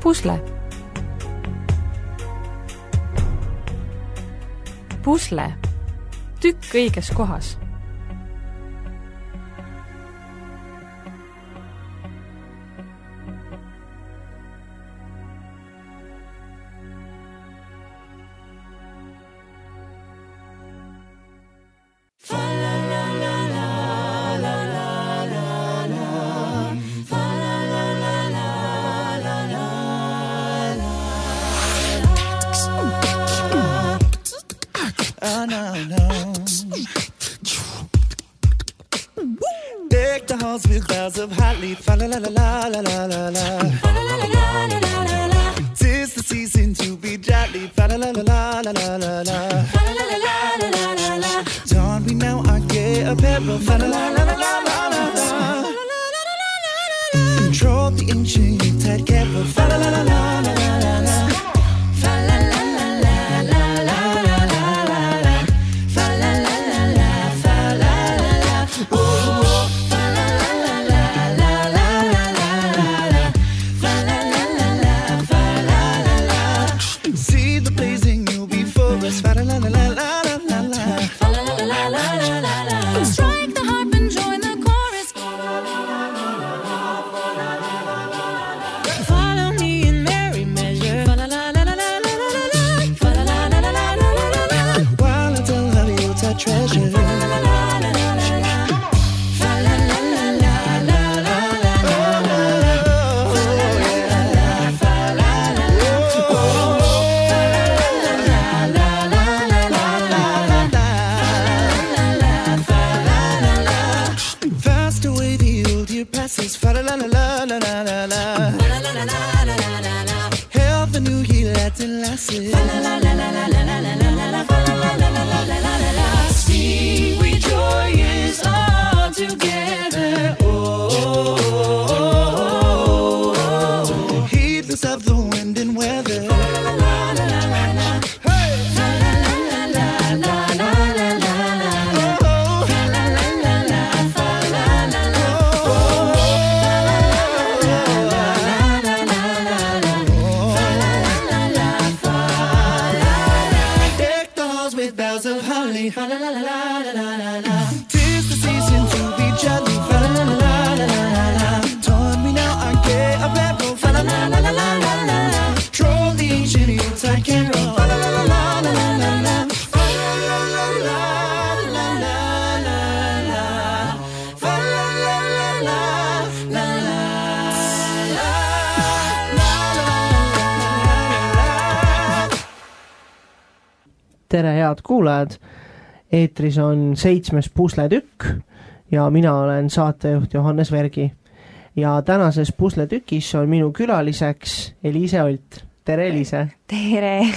Pusle. Pusle. Tükk õiges kohas. Deck the halls with boughs of hot leaf. Fa la la la la la la la la. Fa la la la la la la la. 'Tis the season to be jolly. Fa la la la la la la la la. Fa la la la la la la la. Don't we now our gay apparel. Fa la la la la la la la. Control the ancient tide careful. Fa la la la la la la la. Fa la la la la la la la la la. Fa la la la la fa la la la. Ooh. Fa la la la la la la la. Fa la la la la la la la. Strike the harp and join the chorus. Follow me in merry measure. Fa la la la la la la la. Fa la la la la la la la. While I tell how you touch treasure. Fa la la la la la la. Fa la la la la la la la. Fa la la la la. Fa la la la. Passes, fa la la la la la la la la. La la la la la la la la. Health and new year Latin lasses. Fa la la la la la la la la la la. Fa la la la la la la la la. Sing we joyous all together. Oh, oh, oh, oh. Heedless of the wind and weather. Fa la la la la la la. Hey. Fa la la la la la la la la la. Oh, fa la la la la fa la la la. Of holly, fa la la la la la la la. 'Tis the season to be jolly, fa la la la la la la la. Join me now, I get a battle, fa la la la la la la la la. Troll the ancient Yuletide carol, fa la la la la la la la la. Fa la la la la la la la la. Fa la la la la la la la. Tere, head kuulajad! Eetris on 7. pusletükk ja mina olen saatejuht Johannes Vergi. Ja tänases pusletükis on minu külaliseks Eliise Olt. Tere, Eliise! Tere!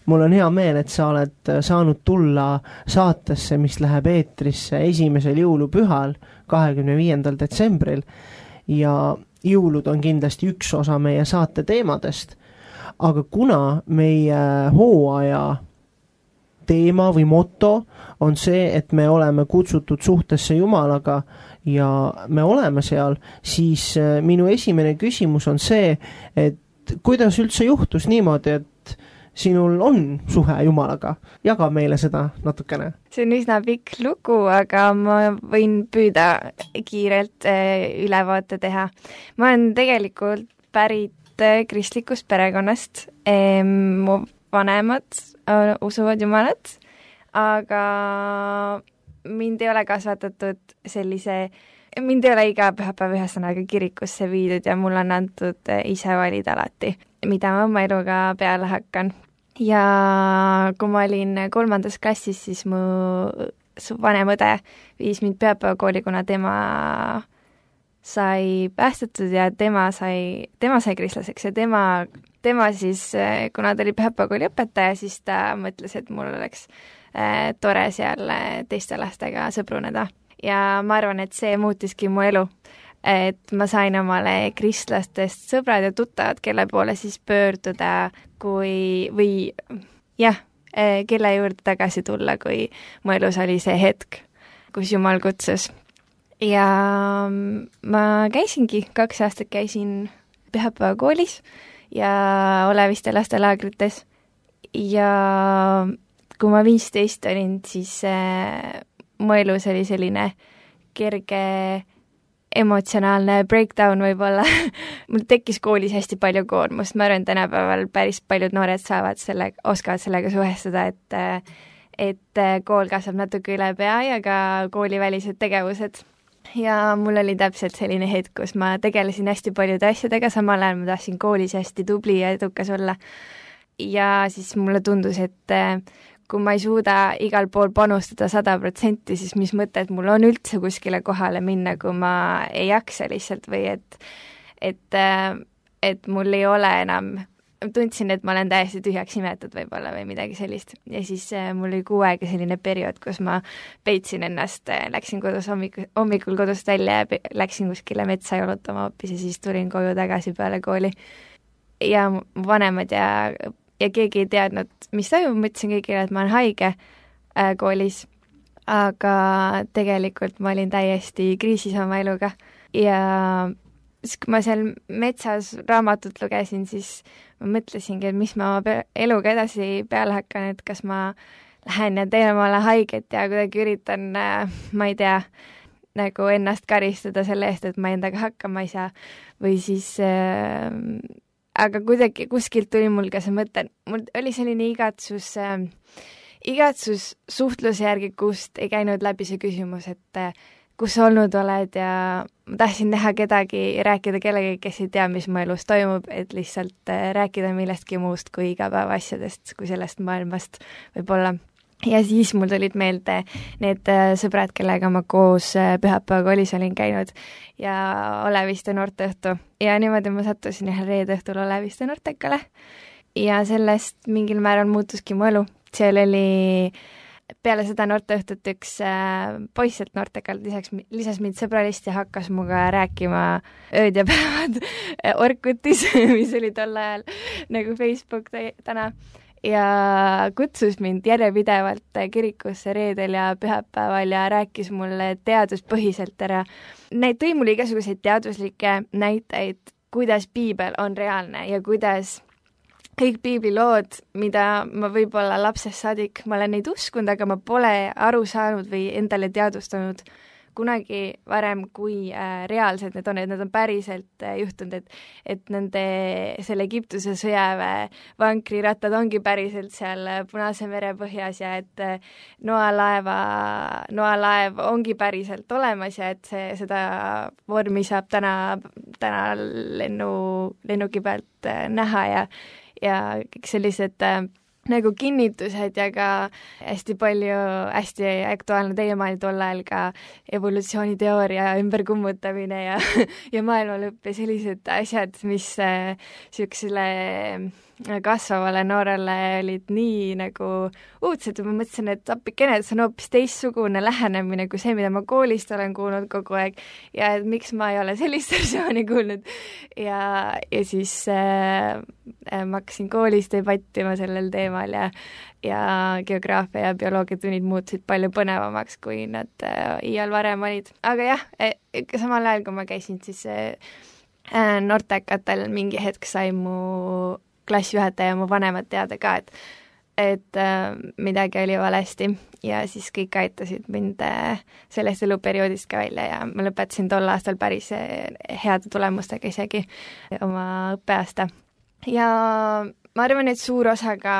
Mul on hea meel, et sa oled saanud tulla saatesse, mis läheb eetrisse 1. jõulupühal, 25. detsembril. Ja jõulud on kindlasti üks osa meie saate teemadest. Aga kuna meie hooaja teema või moto on see, et me oleme kutsutud suhtesse Jumalaga ja me oleme seal, siis minu esimene küsimus on see, et kuidas üldse juhtus niimoodi, et sinul on suhe Jumalaga? Jaga meile seda natukene. See on üsna pikk lugu, aga ma võin püüda kiirelt ülevaate teha. Ma olen tegelikult pärit kristlikust perekonnast. Mu vanemad usuvad Jumalat, aga mind ei ole kasvatatud mind ei ole iga pühapäev ühesõnaga kirikusse viidud ja mul on antud ise valida alati, mida ma oma eluga peale hakkan. Ja kui ma olin 3. klassis, siis mu vanem õde viis mind pühapäevakooli, kuna tema sai päästetud ja tema sai kristlaseks ja tema siis, kuna ta oli pühapäevakooli õpetaja, siis ta mõtles, et mul oleks tore seal teiste lastega sõbruneda. Ja ma arvan, et see muutiski mu elu, et ma sain omale kristlastest sõbrad ja tuttavad, kelle poole siis pöörduda, kelle juurde tagasi tulla, kui mu elus oli see hetk, kus Jumal kutsus. Ja ma käisingi, 2 aastat käisin pühapäevakoolis ja Oleviste lastelaagrites. Ja kui ma 15 olin, siis mu elus oli selline kerge emotsionaalne breakdown võib-olla. Mul tekkis koolis hästi palju koormust, ma arvan, tänapäeval päris paljud noored oskavad sellega suhestuda, et kool kasvab natuke üle pea ja ka koolivälised tegevused. Ja mul oli täpselt selline hetk, kus ma tegelesin hästi paljude asjadega, samal ajal ma tahtsin koolis hästi tubli ja edukas olla. Ja siis mulle tundus, et kui ma ei suuda igal pool panustada 100%, siis mis mõtet mul on üldse kuskile kohale minna, kui ma ei jaksa lihtsalt või et mul ei ole enam, tundsin, et ma olen täiesti tühjaks imetud võib-olla või midagi sellist. Ja siis mul oli 6 aega selline periood, kus ma peitsin ennast, läksin kodus hommikul kodust välja ja läksin kuskile metsa jalutama hoopis ja siis tulin koju tagasi peale kooli. Ja vanemad ja keegi ei teadnud, mis toimub, ma ütlesin kõigile, et ma olen haige koolis, aga tegelikult ma olin täiesti kriisis oma eluga. Ja siis, kui ma seal metsas raamatut lugesin, siis ma mõtlesingi, et mis ma oma eluga edasi peale hakkan, et kas ma lähen ja teen omale haiget ja kuidagi üritan, ma ei tea, nagu ennast karistada selle eest, et ma endaga hakkama ei saa või siis aga kuidagi kuskilt tuli mul ka see mõte, mul oli selline igatsus suhtluse järgi, kust ei käinud läbi see küsimus, et kus sa olnud oled ja ma tahtsin näha kedagi, rääkida kellegagi, kes ei tea, mis mu elus toimub, et lihtsalt rääkida millestki muust kui igapäevaasjadest, kui sellest maailmast võib-olla. Ja siis mul tulid meelde need sõbrad, kellega ma koos pühapäeva koolis olin käinud ja Oleviste noorteõhtu. Ja niimoodi ma sattusin ühel reede õhtul Oleviste noortekale ja sellest mingil määral muutuski mu elu. Seal oli peale seda noorteõhtut üks poisselt noortekalt lisas mind sõbralist ja hakkas muga rääkima ööd ja päevad Orkutis, mis oli tol ajal nagu Facebook täna. Ja kutsus mind järjepidevalt kirikusse reedel ja pühapäeval ja rääkis mulle teaduspõhiselt ära. Tõi mulle igasuguseid teaduslikke näiteid, kuidas piibel on reaalne ja kuidas kõik piiblilood, mida ma võib-olla lapsest saadik, ma olen neid uskunud, aga ma pole aru saanud või endale teadvustanud kunagi varem, kui reaalsed need on, et need on päriselt juhtunud, et nende selle Egiptuse sõjaväe vankrirattad ongi päriselt seal Punase mere põhjas ja et noalaev ongi päriselt olemas ja et seda vormi saab täna lennuki pealt näha ja kõik sellised nagu kinnitused ja ka hästi hästi aktuaalne teema oli tol ajal ka evolutsiooniteooria ümberkummutamine ja maailmalõpp ja sellised asjad, mis siuksele kasvavale noorele olid nii nagu uudsed ja ma mõtlesin, et appikene, et see on hoopis teistsugune lähenemine kui see, mida ma koolist olen kuulnud kogu aeg ja et miks ma ei ole sellist versiooni kuulnud ja siis ma hakkasin koolis debattima sellel teemal ja geograafia ja bioloogiatunnid muutusid palju põnevamaks, kui nad iial varem olid. Aga jah, samal ajal, kui ma käisin siis noortekatel, mingi hetk sai mu klassijuhataja ja mu vanemad teada ka, et midagi oli valesti ja siis kõik aitasid mind sellest eluperioodist ka välja ja ma lõpetasin tol aastal päris heade tulemustega isegi oma õppeaasta. Ja ma arvan, et suur osa ka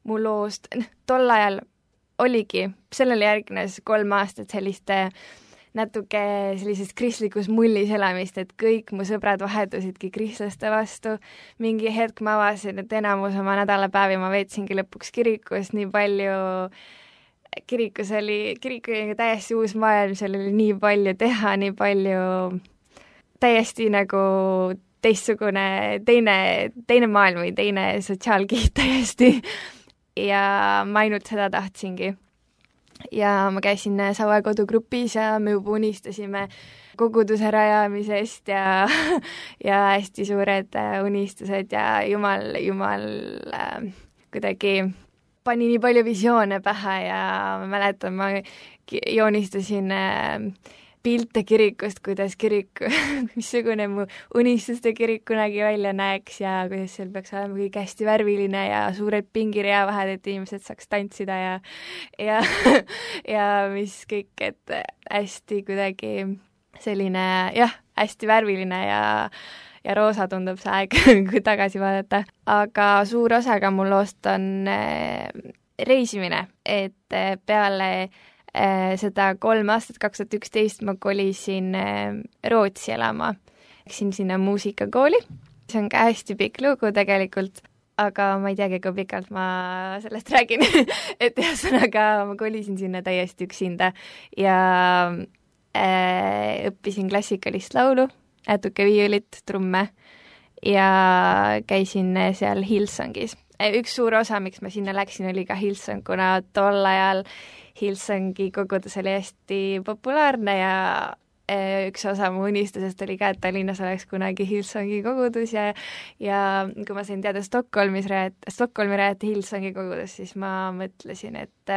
mu loost, tol ajal oligi, sellele järgnes 3 aastat selliste natuke sellises kristlikus mullis elamist, et kõik mu sõbrad vahetusidki kristlaste vastu. Mingi hetk ma avasin, et enamus oma nädalapäevi ma veetsingi lõpuks kirikus, nii palju, kirik oli täiesti uus maailm, seal oli nii palju teha, nii palju täiesti nagu teistsugune, teine maailm või teine sotsiaalkiht täiesti ja ma ainult seda tahtsingi. Ja ma käisin Saue kodugrupis ja me juba unistasime koguduse rajamisest ja hästi suured unistused ja Jumal kuidagi pani nii palju visioone pähe ja ma mäletan, ma joonistasin pilte kirikust, kuidas kirik, missugune mu unistuste kirik kunagi välja näeks ja kuidas seal peaks olema kõik hästi värviline ja suured pingirea vahed, et inimesed saaks tantsida ja ja mis kõik, et hästi kuidagi selline hästi värviline ja roosa tundub see aeg, kui tagasi vaadata. Aga suur osa ka mul loost on reisimine, et peale seda 3 aastat, 2011 ma kolisin Rootsi elama. Läksin sinna muusikakooli. See on ka hästi pikk lugu tegelikult, aga ma ei teagi, kui pikalt ma sellest räägin. Et ühesõnaga ma kolisin sinna täiesti üksinda ja õppisin klassikalist laulu, natuke viiulit, trumme ja käisin seal Hillsongis. Üks suur osa, miks ma sinna läksin, oli ka Hillsong, kuna tol ajal Hillsongi kogudus oli hästi populaarne ja üks osa mu unistusest oli ka, et Tallinnas oleks kunagi Hillsongi kogudus ja kui ma sain teada Stockholmi rajati Hillsongi kogudus, siis ma mõtlesin, et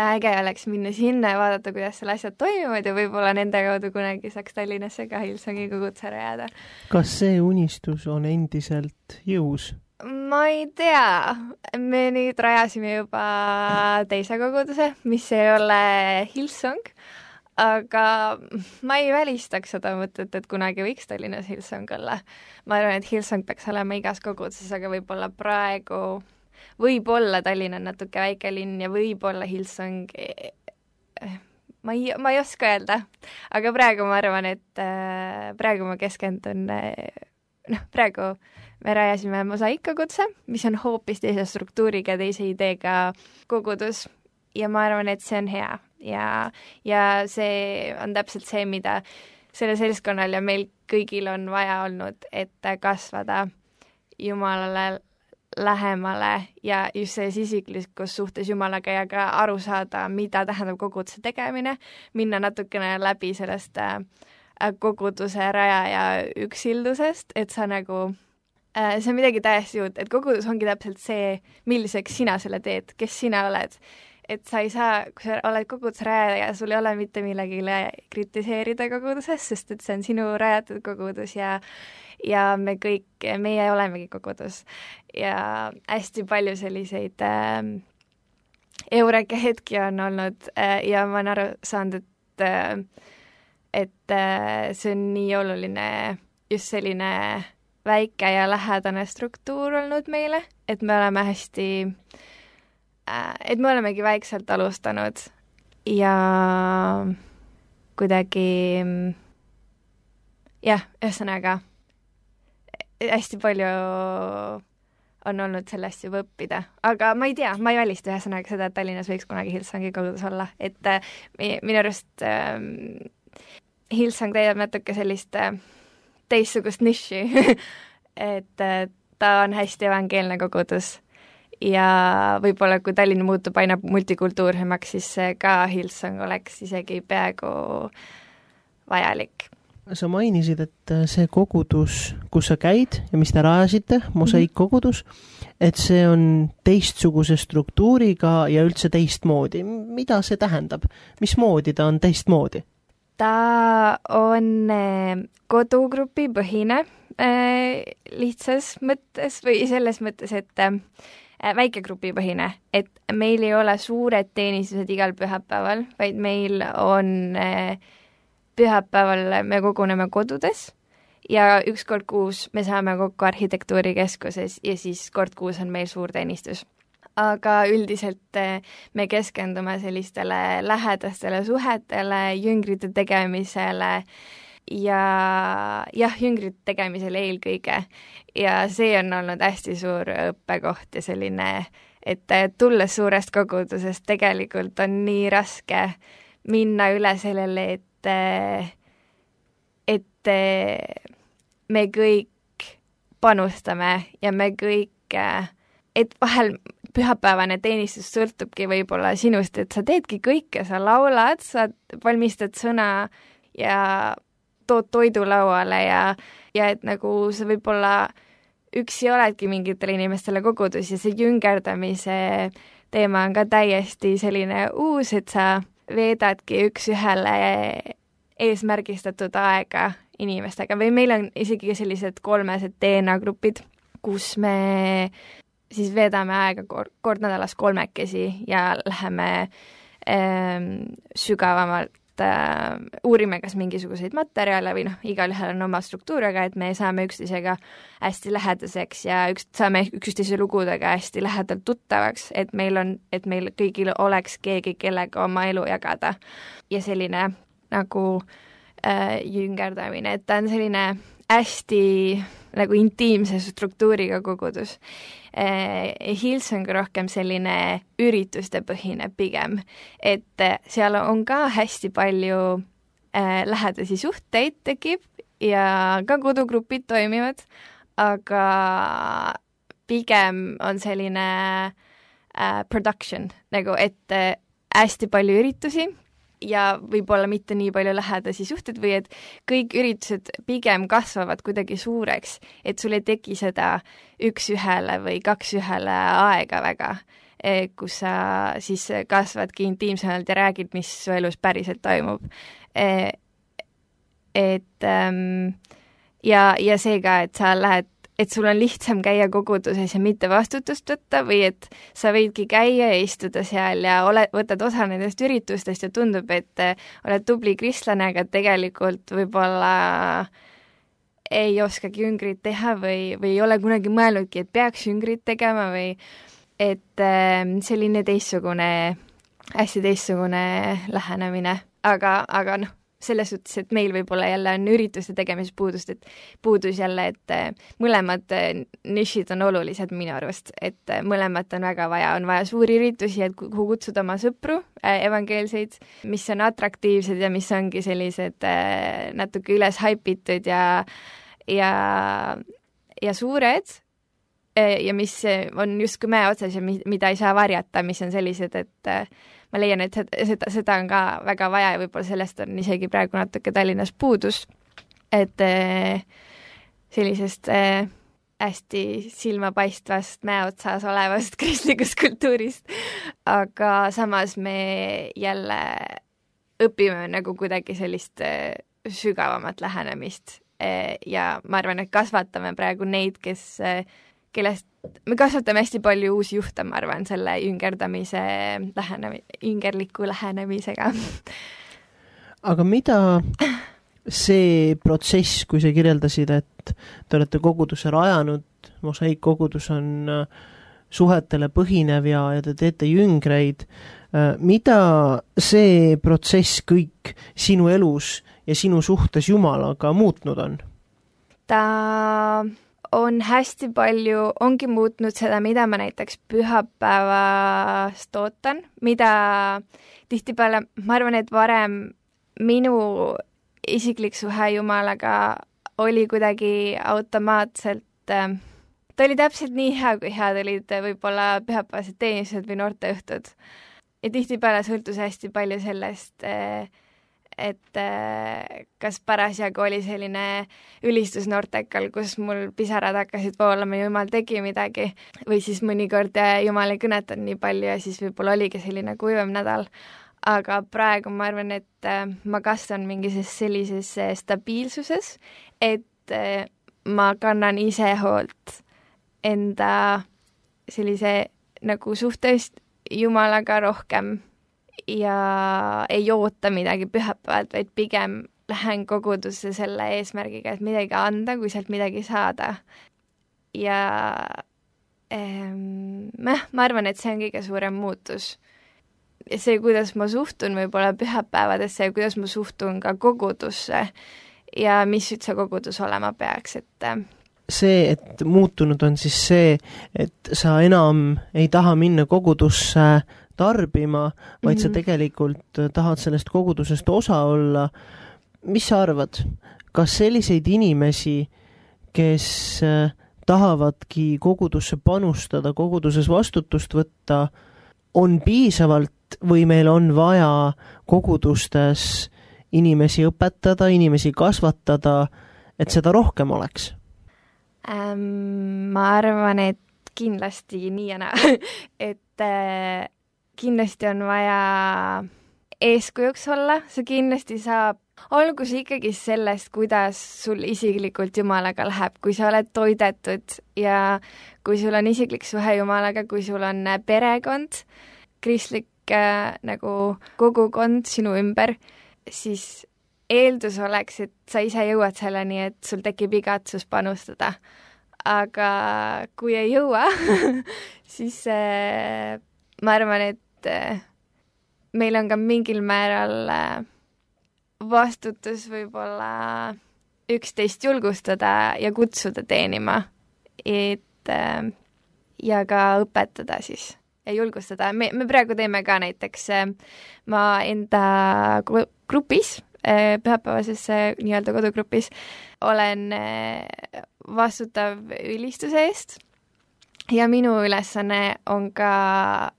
äge oleks minna sinna ja vaadata, kuidas seal asjad toimivad ja võib-olla nende kaudu kunagi saaks Tallinnasse ka Hillsongi koguduse rajada. Kas see unistus on endiselt jõus? Ma ei tea, me nüüd rajasime juba teise koguduse, mis ei ole Hillsong, aga ma ei välistaks seda mõtet, et kunagi võiks Tallinnas Hillsong olla. Ma arvan, et Hillsong peaks olema igas koguduses, aga võib-olla praegu, võib-olla Tallinn on natuke väike linn ja võib-olla Hillsong, ma ei oska öelda, aga praegu ma arvan, et praegu ma keskendun, praegu me rajasime Mosaik-koguduse, mis on hoopis teise struktuuriga, teise ideega kogudus ja ma arvan, et see on hea ja see on täpselt see, mida selle seltskonnal ja meil kõigil on vaja olnud, et kasvada Jumalale lähemale ja just selles isiklikus suhtes Jumalaga ja ka aru saada, mida tähendab koguduse tegemine, minna natukene läbi sellest koguduse raja ja üksildusest, et sa nagu see on midagi täiesti uut, et kogudus ongi täpselt see, milliseks sina selle teed, kes sina oled. Et sa ei saa, kui sa oled koguduse rajaja ja sul ei ole mitte millegile kritiseerida koguduses, sest et see on sinu rajatud kogudus ja meie olemegi kogudus. Ja hästi palju selliseid eureka hetki on olnud ja ma olen aru saanud, et see on nii oluline just selline väike ja lähedane struktuur olnud meile, et me oleme et me olemegi väikselt alustanud ja kuidagi ühesõnaga hästi palju on olnud sellest juba õppida, aga ma ei tea, ma ei välista ühesõnaga seda, et Tallinnas võiks kunagi Hillsongi kogudus olla, et minu arust Hillsong täidab natuke sellist teistsugust niši, et ta on hästi evangeelne kogudus ja võib-olla kui Tallinn muutub aina multikultuursemaks, siis ka Hillsong oleks isegi peaaegu vajalik. Sa mainisid, et see kogudus, kus sa käid ja mis te rajasite, Mosaik-kogudus, et see on teistsuguse struktuuriga ja üldse teistmoodi. Mida see tähendab? Mismoodi ta on teistmoodi? Ta on kodugrupi põhine lihtsas mõttes või selles mõttes, et väikegrupi põhine, et meil ei ole suured teenistused igal pühapäeval, vaid meil on pühapäeval me koguneme kodudes ja üks kord kuus me saame kokku arhitektuurikeskuses ja siis kord kuus on meil suur teenistus. Aga üldiselt me keskendume sellistele lähedastele suhetele, jüngrite tegemisele ja jüngrite tegemisele eelkõige. Ja see on olnud hästi suur õppekoht ja selline, et tulles suurest kogudusest tegelikult on nii raske minna üle sellele, et me kõik panustame ja me kõik, et vahel pühapäevane teenistus sõltubki võib-olla sinust, et sa teedki kõike, sa laulad, sa valmistad sõna ja tood toidu lauale ja et nagu sa võib-olla üksi oledki mingitele inimestele kogudus ja see jüngerdamise teema on ka täiesti selline uus, et sa veedadki üks ühele eesmärgistatud aega inimestega või meil on isegi sellised 3 DNA-grupid, kus me siis veedame aega kord nädalas 3 ja läheme sügavamalt uurime kas mingisuguseid materjale või igalühel on oma struktuuriga, et me saame üksteisega hästi lähedaseks ja saame üksteise lugudega hästi lähedalt tuttavaks, et meil kõigil oleks keegi, kellega oma elu jagada. Ja selline nagu jüngerdamine, et ta on selline hästi nagu intiimse struktuuriga kogudus. Hills on ka rohkem selline ürituste põhine pigem, et seal on ka hästi palju lähedasi suhteid tekib ja ka kodugrupid toimivad, aga pigem on selline production, nagu et hästi palju üritusi ja võib-olla mitte nii palju lähedasi suhted või et kõik üritused pigem kasvavad kuidagi suureks, et sul ei teki seda 1-1 või 2-1 aega väga, kus sa siis kasvadki intiimsemalt ja räägid, mis su elus päriselt toimub. Ja see ka, et sa lähed, et sul on lihtsam käia koguduses ja mitte vastutust võtta või et sa võidki käia ja istuda seal ja võtad osa nendest üritustest ja tundub, et oled tubli kristlane, aga tegelikult võib-olla ei oskagi jüngrit teha või ei ole kunagi mõelnudki, et peaks jüngrit tegema või et selline hästi teistsugune lähenemine, aga selles suhtes, et meil võib-olla jälle on ürituste tegemises puudus jälle, et mõlemad nišid on olulised minu arvast, et mõlemat on väga vaja, on vaja suuri üritusi, et kuhu kutsuda oma sõpru, evangeelseid, mis on atraktiivsed ja mis ongi sellised natuke üles haipitud ja suured ja mis on justkui mäe otsas ja mida ei saa varjata, mis on sellised, et ma leian, et seda on ka väga vaja ja võib-olla sellest on isegi praegu natuke Tallinnas puudus, et sellisest hästi silmapaistvast mäeotsas olevast kristlikust kultuurist, aga samas me jälle õpime nagu kuidagi sellist sügavamat lähenemist ja ma arvan, et kasvatame praegu neid, kellest me kasvatame hästi palju uusi juhte, ma arvan, selle jüngerliku lähenemisega. Aga mida see protsess, kui sa kirjeldasid, et te olete koguduse rajanud, mosaiikkogudus on suhetele põhinev ja te teete jüngreid, mida see protsess kõik sinu elus ja sinu suhtes Jumalaga muutnud on? Ta on hästi palju, ongi muutnud seda, mida ma näiteks pühapäevast ootan, mida tihtipeale, ma arvan, et varem minu isiklik suhe Jumalaga oli kuidagi automaatselt, ta oli täpselt nii hea, kui head olid võib-olla pühapäevased teenistused või noorteõhtud. Ja tihtipeale sõltus hästi palju sellest, et kas parasjagu oli selline ülistus noortekal, kus mul pisarad hakkasid voolama, Jumal tegi midagi, või siis mõnikord Jumal ei kõnetanud nii palju ja siis võib-olla oligi selline kuivam nädal. Aga praegu ma arvan, et ma kasvan mingis sellises stabiilsuses, et ma kannan ise hoolt enda sellise nagu suhtest Jumalaga rohkem ja ei oota midagi pühapäevalt, vaid pigem lähen kogudusse selle eesmärgiga, et midagi anda, kui sealt midagi saada. Ja ma arvan, et see on kõige suurem muutus. Ja see, kuidas ma suhtun võib-olla pühapäevadesse ja kuidas ma suhtun ka kogudusse ja mis üldse kogudus olema peaks, et see, et muutunud on siis see, et sa enam ei taha minna kogudusse tarbima, vaid sa tegelikult tahad sellest kogudusest osa olla. Mis sa arvad, kas selliseid inimesi, kes tahavadki kogudusse panustada, koguduses vastutust võtta, on piisavalt või meil on vaja kogudustes inimesi õpetada, inimesi kasvatada, et seda rohkem oleks? Ma arvan, et kindlasti nii ja naa. Et kindlasti on vaja eeskujuks olla, sa kindlasti saab, olgu see ikkagi sellest, kuidas sul isiklikult Jumalaga läheb, kui sa oled toidetud ja kui sul on isiklik suhe Jumalaga, kui sul on perekond, kristlik nagu kogukond sinu ümber, siis eeldus oleks, et sa ise jõuad selleni, et sul tekib igatsus panustada. Aga kui ei jõua, siis ma arvan, et meil on ka mingil määral vastutus võib-olla üksteist julgustada ja kutsuda teenima, et ja ka õpetada siis ja julgustada. Me praegu teeme ka näiteks, ma enda grupis, pühapäevases nii-öelda kodugrupis, olen vastutav ülistuse eest ja minu ülesanne on ka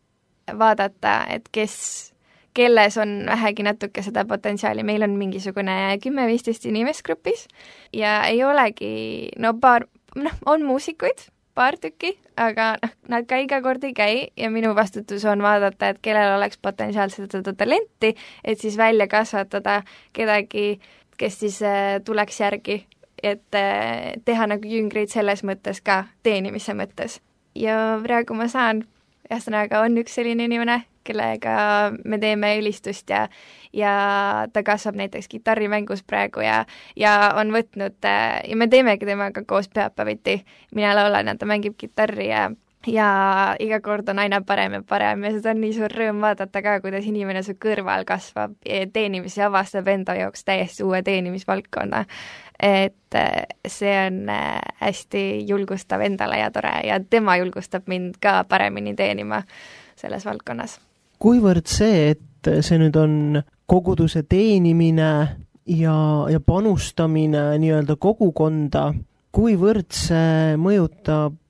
vaadata, et kelles on vähegi natuke seda potentsiaali. Meil on mingisugune 10-15 inimest grupis ja ei olegi, on muusikuid, paar tükki, aga nad ka iga kord ei käi ja minu vastutus on vaadata, et kellel oleks potentsiaalselt seda talenti, et siis välja kasvatada kedagi, kes siis tuleks järgi, et teha nagu jüngreid selles mõttes ka, teenimise mõttes. Ja praegu ma saan, ühesõnaga on üks selline inimene, kellega me teeme ülistust ja ta kasvab näiteks kitarrimängus praegu ja on võtnud ja me teemegi temaga koos pühapäeviti. Mina laulan ja ta mängib kitarri ja iga kord on aina parem ja parem ja seda on nii suur rõõm vaadata ka, kuidas inimene su kõrval kasvab teenimis ja avastab enda jaoks täiesti uue teenimisvaldkonna. Et see on hästi julgustav endale ja tore ja tema julgustab mind ka paremini teenima selles valdkonnas. Kuivõrd see, et see nüüd on koguduse teenimine ja panustamine nii-öelda kogukonda, kuivõrd see mõjutab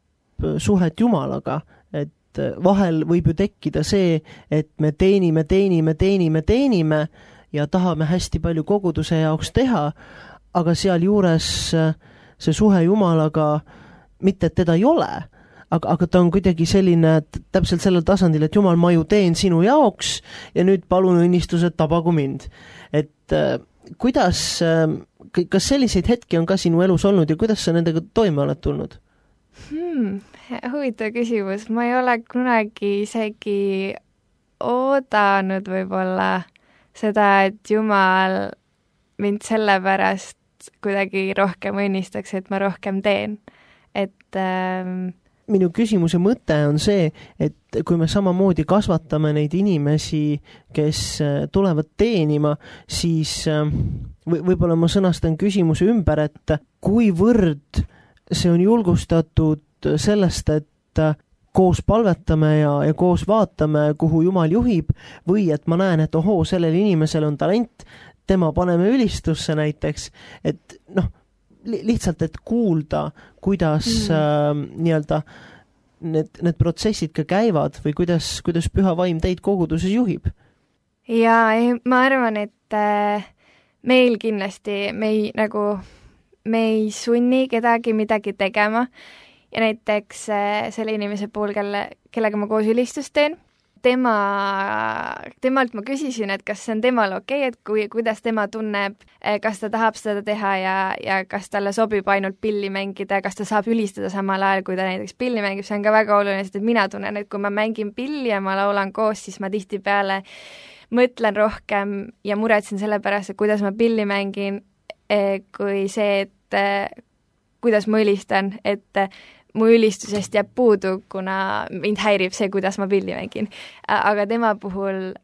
suhet Jumalaga, et vahel võib ju tekkida see, et me teenime ja tahame hästi palju koguduse jaoks teha, aga sealjuures see suhe Jumalaga, mitte et teda ei ole, aga ta on kuidagi selline täpselt sellel tasandil, et Jumal, ma ju teen sinu jaoks ja nüüd palun õnnistused, tabagu mind. Et kuidas, kas selliseid hetki on ka sinu elus olnud ja kuidas sa nendega toime oled tulnud? Huvitav küsimus. Ma ei ole kunagi isegi oodanud võib-olla seda, et Jumal mind sellepärast kuidagi rohkem õnnistaks, et ma rohkem teen. Et minu küsimuse mõte on see, et kui me samamoodi kasvatame neid inimesi, kes tulevad teenima, siis võib-olla ma sõnastan küsimuse ümber, et kuivõrd see on julgustatud sellest, et koos palvetame ja koos vaatame, kuhu Jumal juhib, või et ma näen, et ohoo, sellel inimesel on talent, tema paneme ülistusse näiteks, et lihtsalt, et kuulda, kuidas nii-öelda need protsessid ka käivad või kuidas Püha Vaim teid koguduses juhib? Ja ma arvan, et meil kindlasti me ei sunni kedagi midagi tegema ja näiteks selle inimese puhul, kellega ma koos ülistust teen, temalt ma küsisin, et kas see on temal okei, et kuidas tema tunneb, kas ta tahab seda teha ja kas talle sobib ainult pilli mängida, kas ta saab ülistada samal ajal, kui ta näiteks pilli mängib, see on ka väga oluline, sest et mina tunnen, et kui ma mängin pilli ja ma laulan koos, siis ma tihtipeale mõtlen rohkem ja muretsen selle pärast, et kuidas ma pilli mängin, kui see, et kuidas ma ülistan, et mu ülistusest jääb puudu, kuna mind häirib see, kuidas ma pilli mängin. Aga tema puhul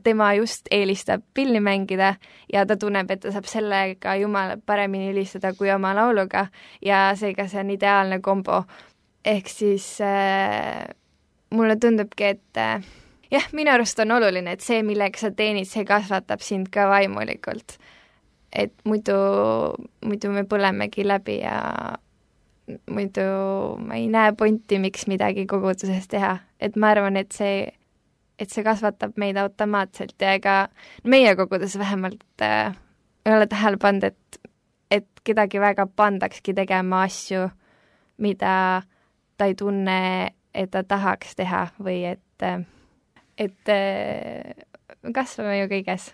tema just eelistab pilli mängida ja ta tunneb, et ta saab sellega Jumala paremini ülistada kui oma lauluga ja seega see on ideaalne kombo. Ehk siis mulle tundubki, et minu arust on oluline, et see, millega sa teenid, see kasvatab sind ka vaimulikult. Et muidu me põlemegi läbi ja muidu ma ei näe pointi, miks midagi koguduses teha. Et ma arvan, et see kasvatab meid automaatselt ja ega meie koguduses vähemalt ei ole tähele pannud, et kedagi väga pandakski tegema asju, mida ta ei tunne, et ta tahaks teha või et kasvame ju kõiges.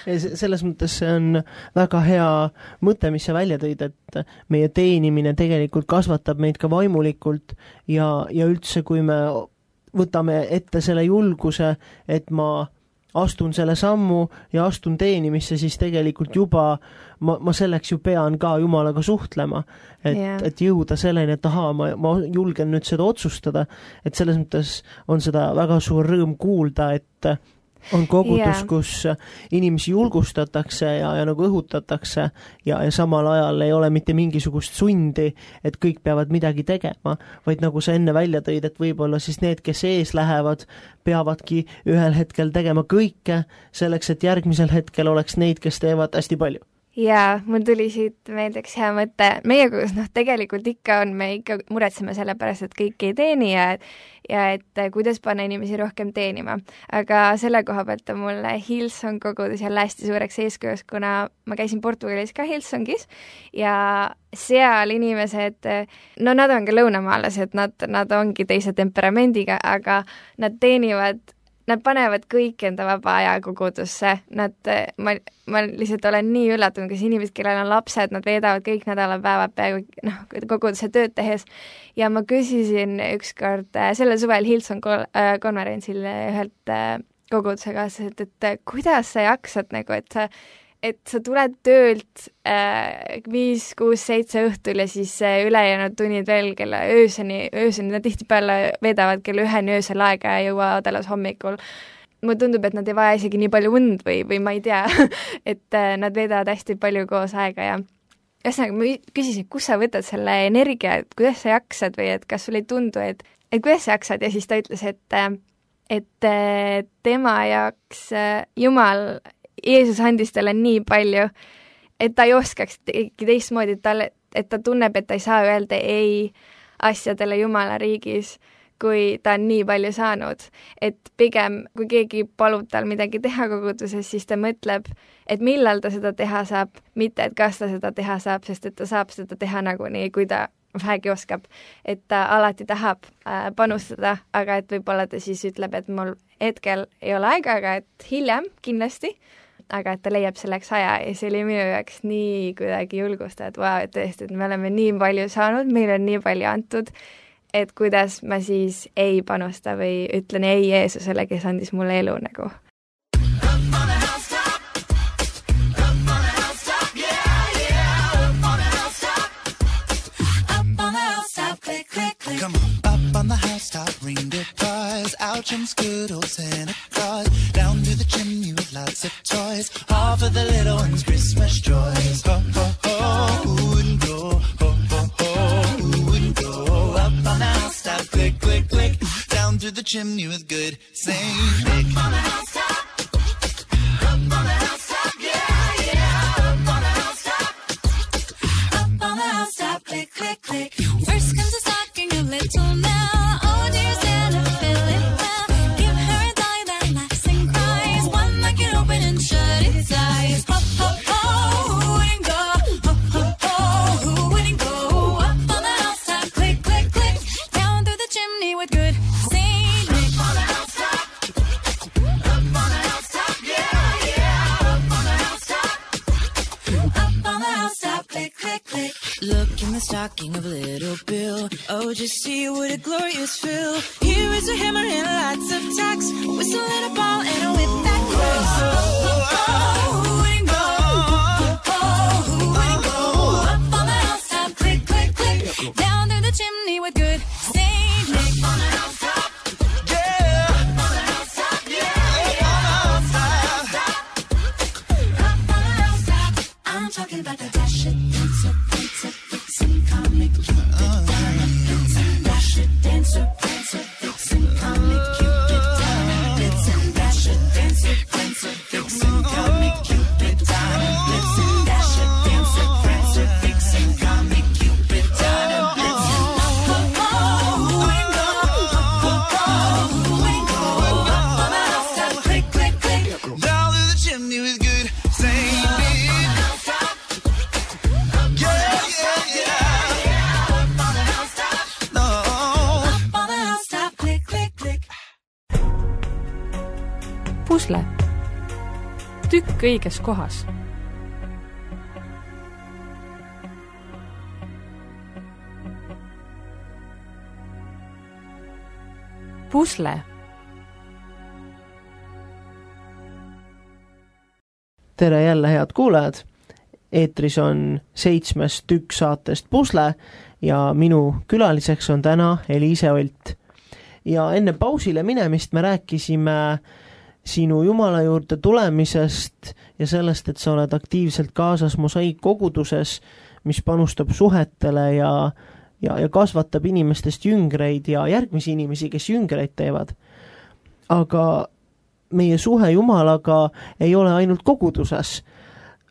Selles mõttes see on väga hea mõte, mis sa välja tõid, et meie teenimine tegelikult kasvatab meid ka vaimulikult ja üldse, kui me võtame ette selle julguse, et ma astun selle sammu ja astun teenimisse, siis tegelikult juba ma selleks ju pean ka Jumalaga suhtlema, et jõuda selleni, et ma julgen nüüd seda otsustada, et selles mõttes on seda väga suur rõõm kuulda, et on kogutus, kus inimesi julgustatakse ja nagu õhutatakse ja samal ajal ei ole mitte mingisugust sundi, et kõik peavad midagi tegema, vaid nagu sa enne välja tõid, et võib-olla siis need, kes ees lähevad, peavadki ühel hetkel tegema kõike selleks, et järgmisel hetkel oleks neid, kes teevad hästi palju. Jaa, mul tuli siit meeldeks hea mõte. Meie kus, tegelikult me ikka muretseme selle pärast, et kõik ei teeni ja et kuidas panna inimesi rohkem teenima. Aga selle koha pealt on mulle Hillsong kogudus jälle hästi suureks eeskujuks, kuna ma käisin Portugalis ka Hillsongis ja seal inimesed, nad on ka lõunamaalased, nad ongi teise temperamendiga, aga nad teenivad, nad panevad kõik enda vaba aja kogudusse. Ma lihtsalt olen nii üllatunud, kes inimesed, kellel on lapsed, nad veedavad kõik nädalapäevad peaaegu koguduse tööd tehes. Ja ma küsisin ükskord sellel suvel Hillsong konverentsil ühelt koguduse kaasaselt, et kuidas sa jaksad, et sa tuled töölt 5, 6, 7 õhtul ja siis ülejäänud tunnid veel kella ööseni, nad tihtipeale veedavad kella 1 öösel aega ja jõuavad alles hommikul. Mulle tundub, et nad ei vaja isegi nii palju und või ma ei tea, et nad veedavad hästi palju koos aega ja ühesõnaga ma küsisin, kus sa võtad selle energia, et kuidas sa jaksad või et kas sul ei tundu, et kuidas sa jaksad ja siis ta ütles, et tema jaoks Jumal Jeesus andis talle nii palju, et ta ei oskaks teistmoodi, et ta tunneb, et ta ei saa öelda ei asjadele Jumala riigis, kui ta on nii palju saanud. Et pigem, kui keegi palub tal midagi teha koguduses, siis ta mõtleb, et millal ta seda teha saab, mitte et kas ta seda teha saab, sest et ta saab seda teha nagunii, kui ta vähegi oskab. Et ta alati tahab panustada, aga et võib-olla ta siis ütleb, et mul hetkel ei ole aega, aga et hiljem kindlasti, aga et ta leiab selleks aja ja see oli minu jaoks nii kuidagi julgustav, et tõesti, et me oleme nii palju saanud, meil on nii palju antud, et kuidas ma siis ei panusta või ütlen ei Jeesusele, kes andis mulle elu nagu. Come on, up on the housetop, reindeer cars, out jumps good old Santa Claus, down to the chimney with lots of toys, all for the little ones' Christmas joys. Ho, ho, ho, who wouldn't go? Ho, ho, ho, who wouldn't go? Up on the housetop, click, click, click, down through the chimney with good Saint Nick. Up on the housetop, up on the housetop, yeah, yeah, up on the housetop, up on the housetop, click, click, click. First comes a stocking of little Nell. Oh dear Santa, fill it well. Give her a dolly that laughs and cries, one that can open and shut its eyes. Ho, ho, ho, who wouldn't go? Ho, ho, ho, who wouldn't go? Up on the housetop, click, click, click, down through the chimney with good Saint Nick. Up on the housetop, up on the housetop, yeah, yeah, up on the housetop, Up on the housetop, click, click, click. Look in the stocking of little Bill. Oh, just see what a glorious fill. Here is a hammer and lots of tacks, whistle and a ball and a whip that cracks. Oh, who wouldn't go? Oh, who wouldn't go? Up on the housetop, click, click, click, down through the chimney with good Saint Nick. on the housetop, yeah, up on the housetop, yeah, yeah, up on the housetop, up on the housetop. I'm talking about the dash it, dancer, prancer, vixen, comic, cupid, diamond, blitzen, dash it, dancer, prancer, vixen, comic, cupid, diamond, blitzen, dash it, dancer, prancer, vixen, comic, cupid, diamond, blitzen, dash it, dancer, prancer, vixen, comic, cupid, diamond, blitzen. Ho, ho, ho, who wouldn't go? Ho, pusle. Tükk õiges kohas. Pusle. Tere jälle, head kuulajad! Eetris on 7. tükk saatest Pusle ja minu külaliseks on täna Eliise Olt. Ja enne pausile minemist me rääkisime sinu Jumala juurde tulemisest ja sellest, et sa oled aktiivselt kaasas mosaiikkoguduses, mis panustab suhetele ja kasvatab inimestest jüngreid ja järgmisi inimesi, kes jüngreid teevad. Aga meie suhe Jumalaga ei ole ainult koguduses.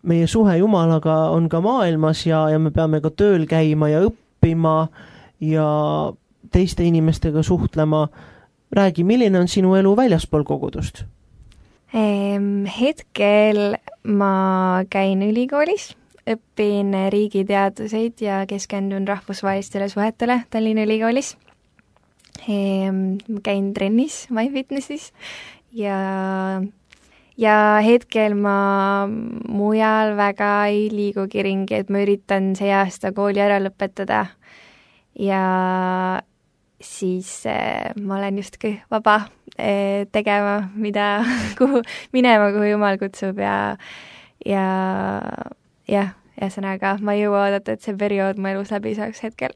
Meie suhe Jumalaga on ka maailmas ja me peame ka tööl käima ja õppima ja teiste inimestega suhtlema. Räägi, milline on sinu elu väljaspool kogudust? Hetkel ma käin ülikoolis, õpin riigiteaduseid ja keskendun rahvusvahelistele suhetele Tallinna ülikoolis. Ma käin trennis MyFitnessis ja hetkel ma mujal väga ei liigugi ringi, et ma üritan see aasta kooli ära lõpetada ja siis ma olen justkui vaba tegema, kuhu Jumal kutsub ja ühesõnaga ma ei jõua oodata, et see periood mu elus läbi saaks hetkel.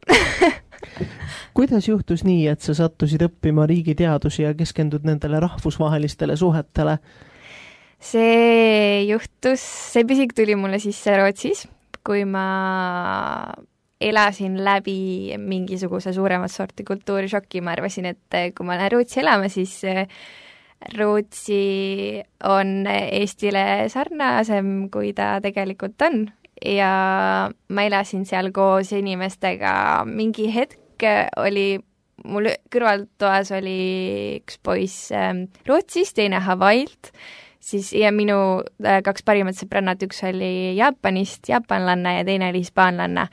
Kuidas juhtus nii, et sa sattusid õppima riigiteadusi ja keskendud nendele rahvusvahelistele suhetele? See pisik tuli mulle sisse Rootsis, kui ma elasin läbi mingisuguse suuremat sorti kultuurishoki. Ma arvasin, et kui ma lähen Rootsi elama, siis Rootsi on Eestile sarnasem, kui ta tegelikult on. Ja ma elasin seal koos inimestega. Mingi hetk oli mul kõrvaltoas oli üks poiss Rootsist, teine Hawaiilt. Ja minu 2 parimat sõbrannat, üks oli Jaapanist, jaapanlanna ja teine oli hispaanlanna.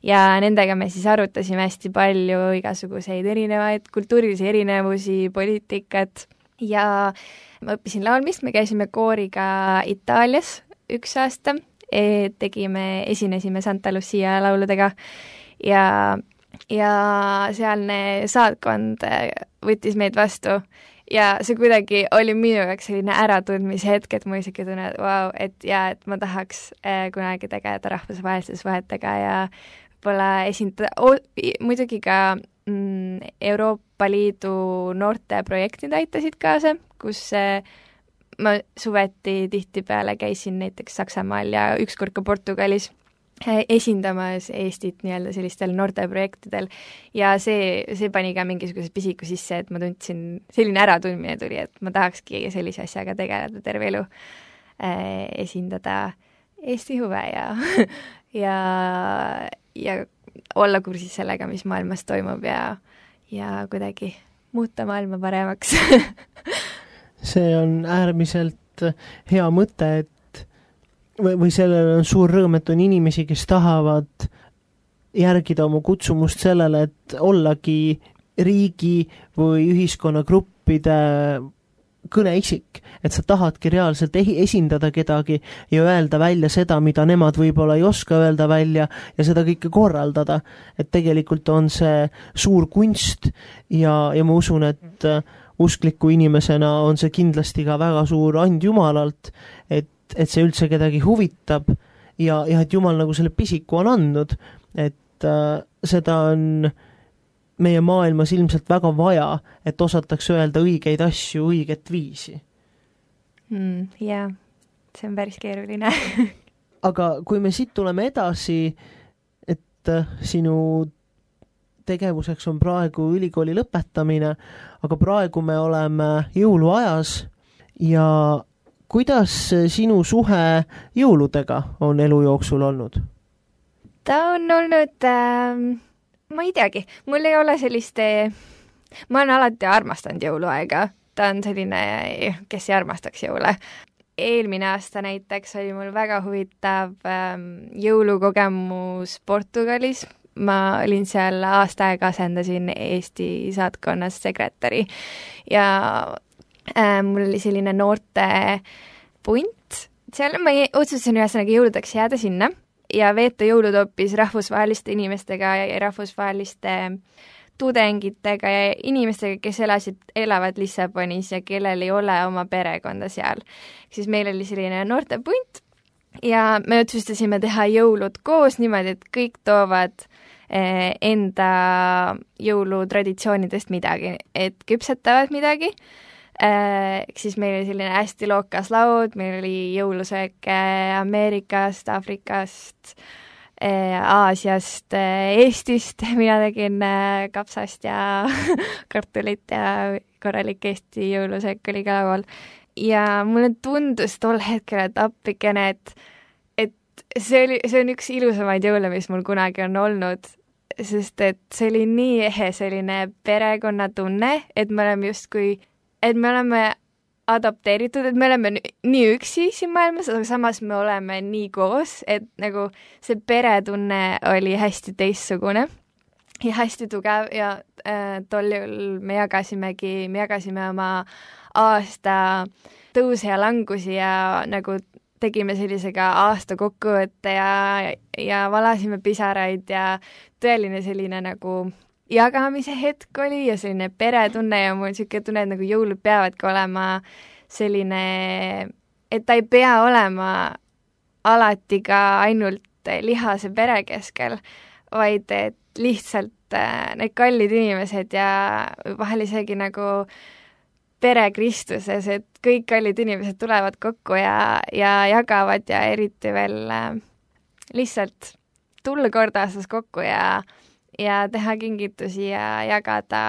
Ja nendega me siis arutasime hästi palju igasuguseid erinevaid kultuurilisi erinevusi, poliitikat ja ma õppisin laulmist, me käisime kooriga Itaalias 1 aasta, esinesime Santa Lucia lauludega ja sealne saatkond võttis meid vastu. Ja see kuidagi oli minu jaoks selline äratundmise hetk, et ma isegi tunnen, et ma tahaks kunagi tegeleda rahvusvaheliste suhetega ja võib-olla esindada, muidugi ka Euroopa Liidu noorteprojektid aitasid kaasa, kus ma suveti tihtipeale käisin näiteks Saksamaal ja ükskord ka Portugalis esindamas Eestit nii-öelda sellistel noorteprojektidel ja see pani ka mingisuguse pisiku sisse, et ma tundsin, selline äratundmine tuli, et ma tahakski sellise asjaga tegeleda terve elu, esindada Eesti huve ja olla kursis sellega, mis maailmas toimub ja kuidagi muuta maailma paremaks. See on äärmiselt hea mõte, et või sellel on suur rõõm, et on inimesi, kes tahavad järgida oma kutsumust sellele, et ollagi riigi või ühiskonnagruppide kõneisik, et sa tahadki reaalselt esindada kedagi ja öelda välja seda, mida nemad võib-olla ei oska öelda välja ja seda kõike korraldada. Et tegelikult on see suur kunst ja ma usun, et uskliku inimesena on see kindlasti ka väga suur and Jumalalt, et see üldse kedagi huvitab ja et Jumal nagu selle pisiku on andnud, et seda on meie maailmas ilmselt väga vaja, et osatakse öelda õigeid asju õiget viisi. Jaa, see on päris keeruline. Aga kui me siit tuleme edasi, et sinu tegevuseks on praegu ülikooli lõpetamine, aga praegu me oleme jõuluajas ja kuidas sinu suhe jõuludega on elu jooksul olnud? Ta on olnud, ma ei teagi, mul ei ole ma olen alati armastanud jõuluaega. Ta on selline, kes ei armastaks jõule. Eelmine aasta näiteks oli mul väga huvitav jõulukogemus Portugalis. Ma olin seal aasta aega asendasin Eesti saatkonnas sekretäri ja mul oli selline noorte punt, seal ma otsustasin ühesõnaga jõuludeks jääda sinna ja veeta jõulud hoopis rahvusvaheliste inimestega ja rahvusvaheliste tudengitega ja inimestega, kes elavad Lissabonis ja kellel ei ole oma perekonda seal. Siis meil oli selline noortepunt ja me otsustasime teha jõulud koos niimoodi, et kõik toovad enda jõulutraditsioonidest midagi, et küpsetavad midagi. Siis meil oli selline hästi lookas laud, meil oli jõulusööke Ameerikast, Aafrikast, Aasiast, Eestist, mina tegin kapsast ja kartulit ja korralik Eesti jõulusöök oli ka laual. Ja mulle tundus tol hetkel, et appikene, et see on üks ilusamaid jõule, mis mul kunagi on olnud, sest et see oli nii ehe selline perekonnatunne, et me oleme adapteeritud, et me oleme nii üksi siin maailmas, aga samas me oleme nii koos, et nagu see peretunne oli hästi teistsugune ja hästi tugev ja tol juhul me jagasime oma aasta tõuse ja langusi ja nagu tegime sellisega aasta kokkuvõtte ja valasime pisaraid ja tõeline selline nagu jagamise hetk oli ja selline peretunne ja mul niisugune tunne, et nagu jõulud peavadki olema selline, et ta ei pea olema alati ka ainult lihase pere keskel, vaid et lihtsalt need kallid inimesed ja vahel isegi nagu pere Kristuses, et kõik kallid inimesed tulevad kokku ja jagavad ja eriti veel lihtsalt tulla kord aastas kokku ja teha kingitusi ja jagada,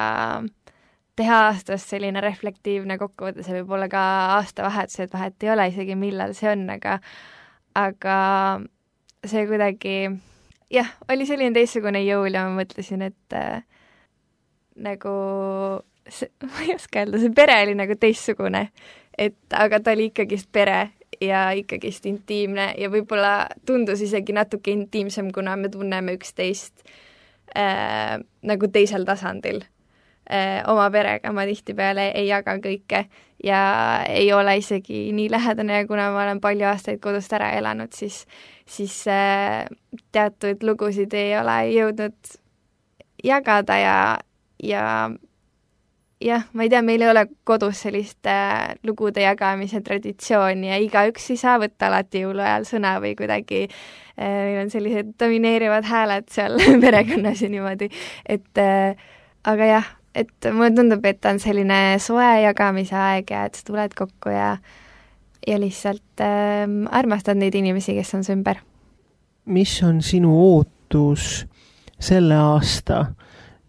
teha aastast selline reflektiivne kokkuvõte, see võib olla ka aastavahetus, et vahet ei ole isegi, millal see on, aga see kuidagi, jah, oli selline teistsugune jõul ja ma mõtlesin, et nagu, ma ei oska öelda, see pere oli nagu teistsugune, aga ta oli ikkagist pere ja ikkagist intiimne ja võib-olla tundus isegi natuke intiimsem, kuna me tunneme üksteist nagu teisel tasandil. Oma perega ma tihtipeale ei jaga kõike ja ei ole isegi nii lähedane ja kuna ma olen palju aastaid kodust ära elanud, siis teatud lugusid ei ole jõudnud jagada ja jah, ma ei tea, meil ei ole kodus sellist lugude jagamise traditsiooni ja igaüks ei saa võtta alati jõuluajal sõna või kuidagi meil on sellised domineerivad hääled seal perekonnas ja niimoodi, aga jah, et mulle tundub, et on selline soe jagamise aeg ja et sa tuled kokku ja lihtsalt armastad neid inimesi, kes on su ümber. Mis on sinu ootus selle aasta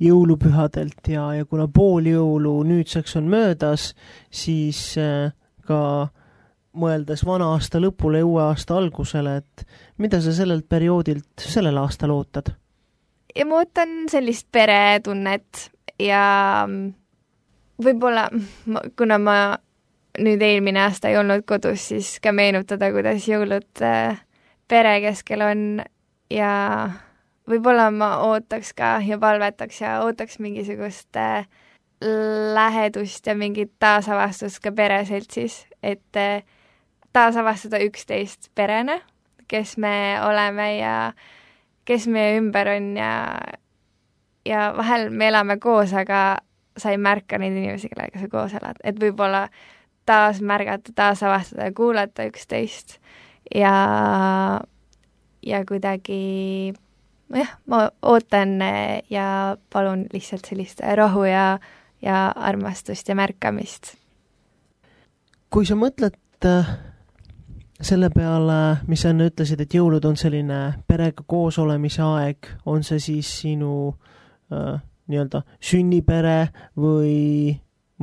jõulupühadelt ja kuna pool jõulu nüüdseks on möödas, siis ka mõeldes vana aasta lõpule ja uue aasta algusele, et mida sa sellelt perioodilt sellel aastal ootad? Ja ma ootan sellist peretunnet ja võib-olla, kuna ma nüüd eelmine aasta ei olnud kodus, siis ka meenutada, kuidas jõulud pere keskel on ja võib-olla ma ootaks ka ja palvetaks ja ootaks mingisugust lähedust ja mingit taasavastust ka pereseltsis, et taasavastada üksteist perena, kes me oleme ja kes meie ümber on ja vahel me elame koos, aga sa ei märka neid inimesi, kellega sa koos elad, et võib-olla taas märgata, taasavastada ja kuulata üksteist ja kuidagi jah, ma ootan ja palun lihtsalt sellist rahu ja armastust ja märkamist. Kui sa mõtled selle peale, mis sa enne ütlesid, et jõulud on selline perega koos olemise aeg, on see siis sinu nii-öelda sünnipere või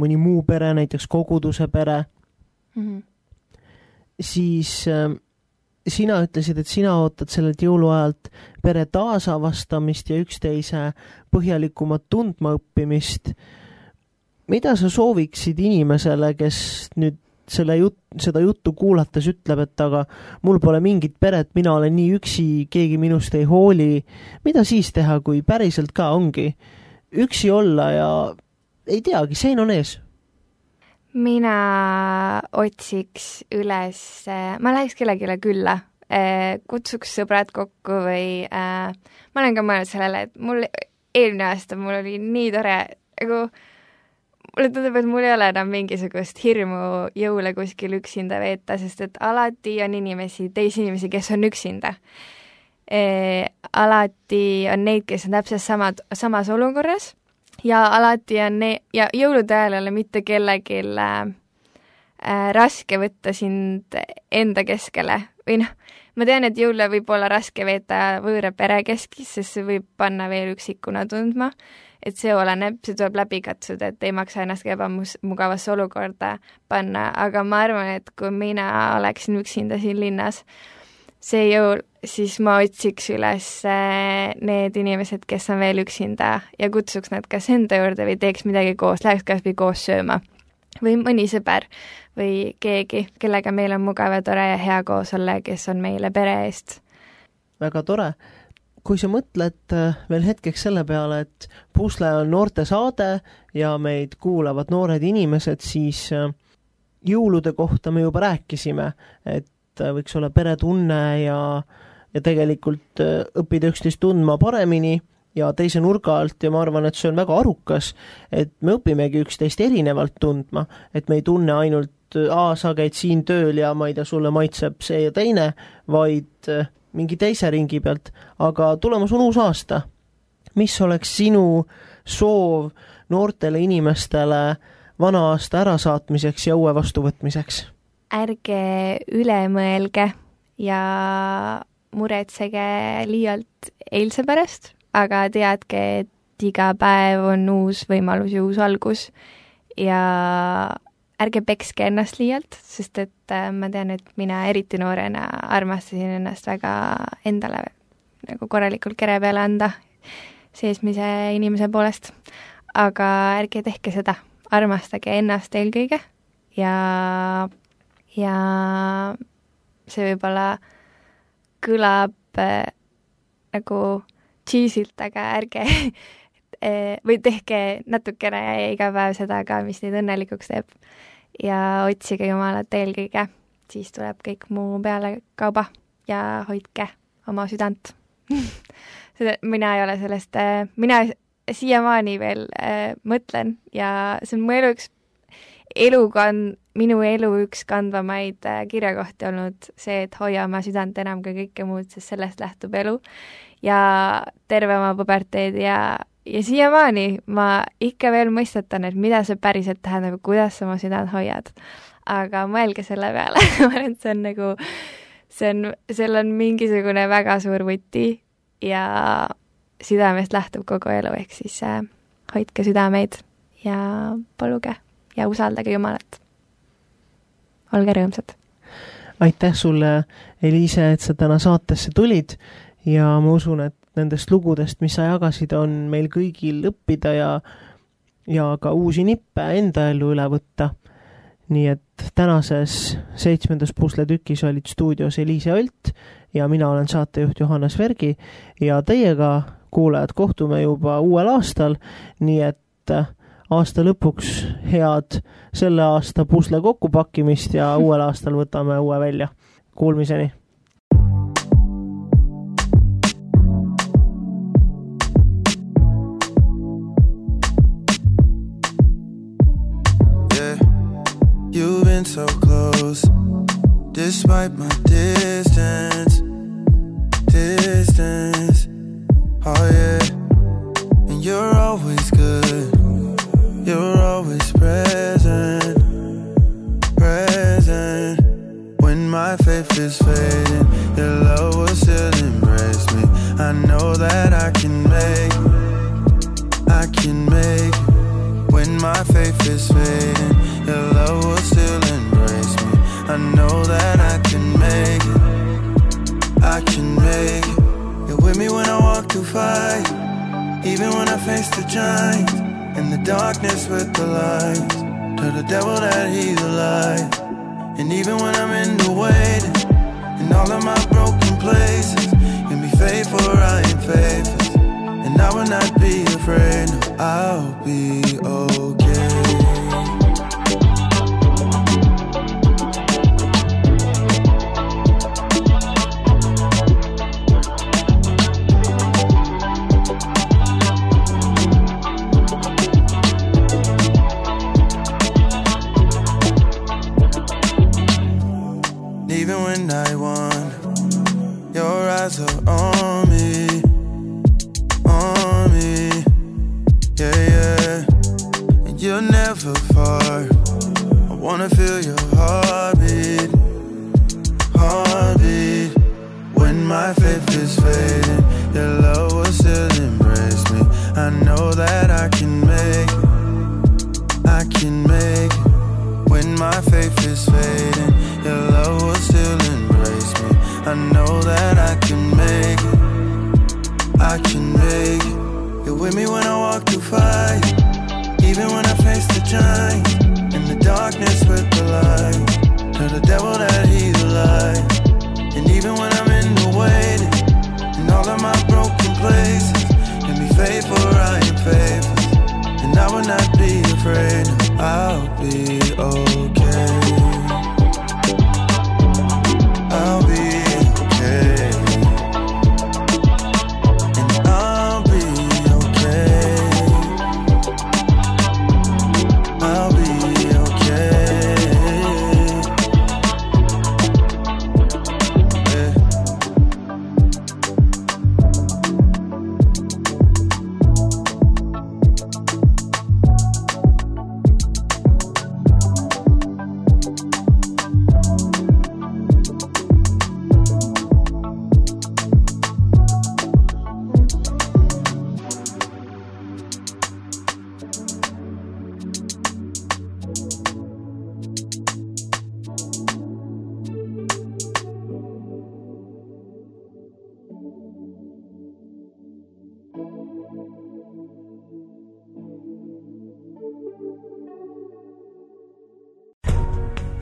mõni muu pere, näiteks koguduse pere, siis sina ütlesid, et sina ootad sellelt jõuluajalt pere taasavastamist ja üksteise põhjalikumat tundma õppimist. Mida sa sooviksid inimesele, kes nüüd seda juttu kuulates ütleb, et aga mul pole mingit peret, mina olen nii üksi, keegi minust ei hooli. Mida siis teha, kui päriselt ka ongi üksi olla ja ei teagi, sein on ees? Mina otsiks üles, ma läheks kellegile külla, kutsuks sõbrad kokku või ma olen ka mõelnud sellele, et mul eelmine aasta mul oli nii tore, nagu mulle tundub, et mul ei ole enam mingisugust hirmu jõule kuskil üksinda veeta, sest et alati on teisi inimesi, kes on üksinda. Alati on neid, kes on täpselt samas olukorras ja alati on ja jõulude ajal ei ole mitte kellelgi raske võtta sind enda keskele või ma tean, et jõule võib olla raske veeta võõra pere keskis, sest see võib panna veel üksikuna tundma, et see oleneb, see tuleb läbi katsuda, et ei maksa ennast ebamugavasse olukorda panna, aga ma arvan, et kui mina oleksin üksinda siin linnas see jõul, siis ma otsiks üles need inimesed, kes on veel üksinda ja kutsuks nad kas enda juurde või teeks midagi koos, läheks kas või koos sööma või mõni sõber või keegi, kellega meil on mugav ja tore ja hea koos olla, kes on meile pere eest. Väga tore. Kui sa mõtled veel hetkeks selle peale, et Pusle on noorte saade ja meid kuulavad noored inimesed, siis jõulude kohta me juba rääkisime, et võiks olla peretunne ja tegelikult õppida üksteist tundma paremini ja teise nurga alt ja ma arvan, et see on väga arukas, et me õpimegi üksteist erinevalt tundma, et me ei tunne ainult sa käid siin tööl ja ma ei tea, sulle maitseb see ja teine, vaid mingi teise ringi pealt, aga tulemas on uus aasta. Mis oleks sinu soov noortele inimestele vana aasta ärasaatmiseks ja uue vastuvõtmiseks? Ärge üle mõelge ja muretsege liialt eilse pärast, aga teadke, et iga päev on uus võimalus ja uus algus ja ärge pekske ennast liialt, sest et ma tean, et mina eriti noorena armastasin ennast väga endale nagu korralikult kere peale anda seesmise inimese poolest. Aga ärge tehke seda, armastage ennast eelkõige ja see võib-olla kõlab nagu cheesilt, aga ärge või tehke natukene iga päev seda ka, mis neid õnnelikuks teeb. Ja otsige Jumalat eelkõige, siis tuleb kõik muu peale kauba ja hoidke oma südant. Mina ei ole sellest, mina siiamaani veel mõtlen ja see on minu elu üks kandvamaid kirjakohti olnud see, et hoia oma südant enam kui kõike muud, sest sellest lähtub elu ja terve oma puberteed ja siiamaani ma ikka veel mõistetan, et mida see päriselt tähendab, kuidas sa oma südant hoiad. Aga mõelge selle peale, see on nagu, seal on mingisugune väga suur võti ja südamest lähtub kogu elu, ehk siis hoidke südameid ja paluge ja usaldage Jumalat. Olge rõõmsad. Aitäh sulle, Eliise, et sa täna saatesse tulid ja ma usun, et nendest lugudest, mis sa jagasid, on meil kõigil õppida ja ka uusi nippe enda ellu üle võtta. Nii et tänases 7. Pusle tükis olid stuudios Eliise Olt ja mina olen saatejuht Johannes Vergi ja teiega, kuulajad, kohtume juba uuel aastal, nii et aasta lõpuks head selle aasta pusle kokkupakkimist ja uuel aastal võtame uue välja. Kuulmiseni! You've been so close, despite my distance, oh yeah, and you're always good, you're always present, when my faith is fading, your love will still embrace me, I know that I can make when my faith is fading, your love will still embrace me. I know that I can make it. You're with me when I walk through fire, even when I face the giants, in the darkness with the lights. Tell the devil that he's a lie. And even when I'm in the waiting, in all of my broken places, you'll be faithful, I am faithful, and I will not be afraid. No, I'll be okay. know that I can make it. When my faith is fading, your love will still embrace me. I know that I can make it. You're with me when I walk through fire, even when I face the giant. In the darkness with the light, tell the devil that he's a lie. And even when I'm in the waiting, in all of my broken places, can be faithful, I am faithful, and I will not be afraid. I'll be okay. I'll be okay. And I'll be okay. I'll be okay. Yeah.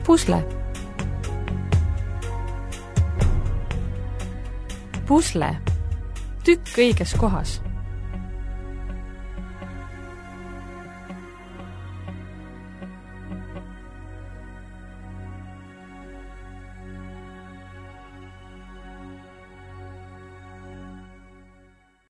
Pusle. Pusle. Tükk õiges kohas.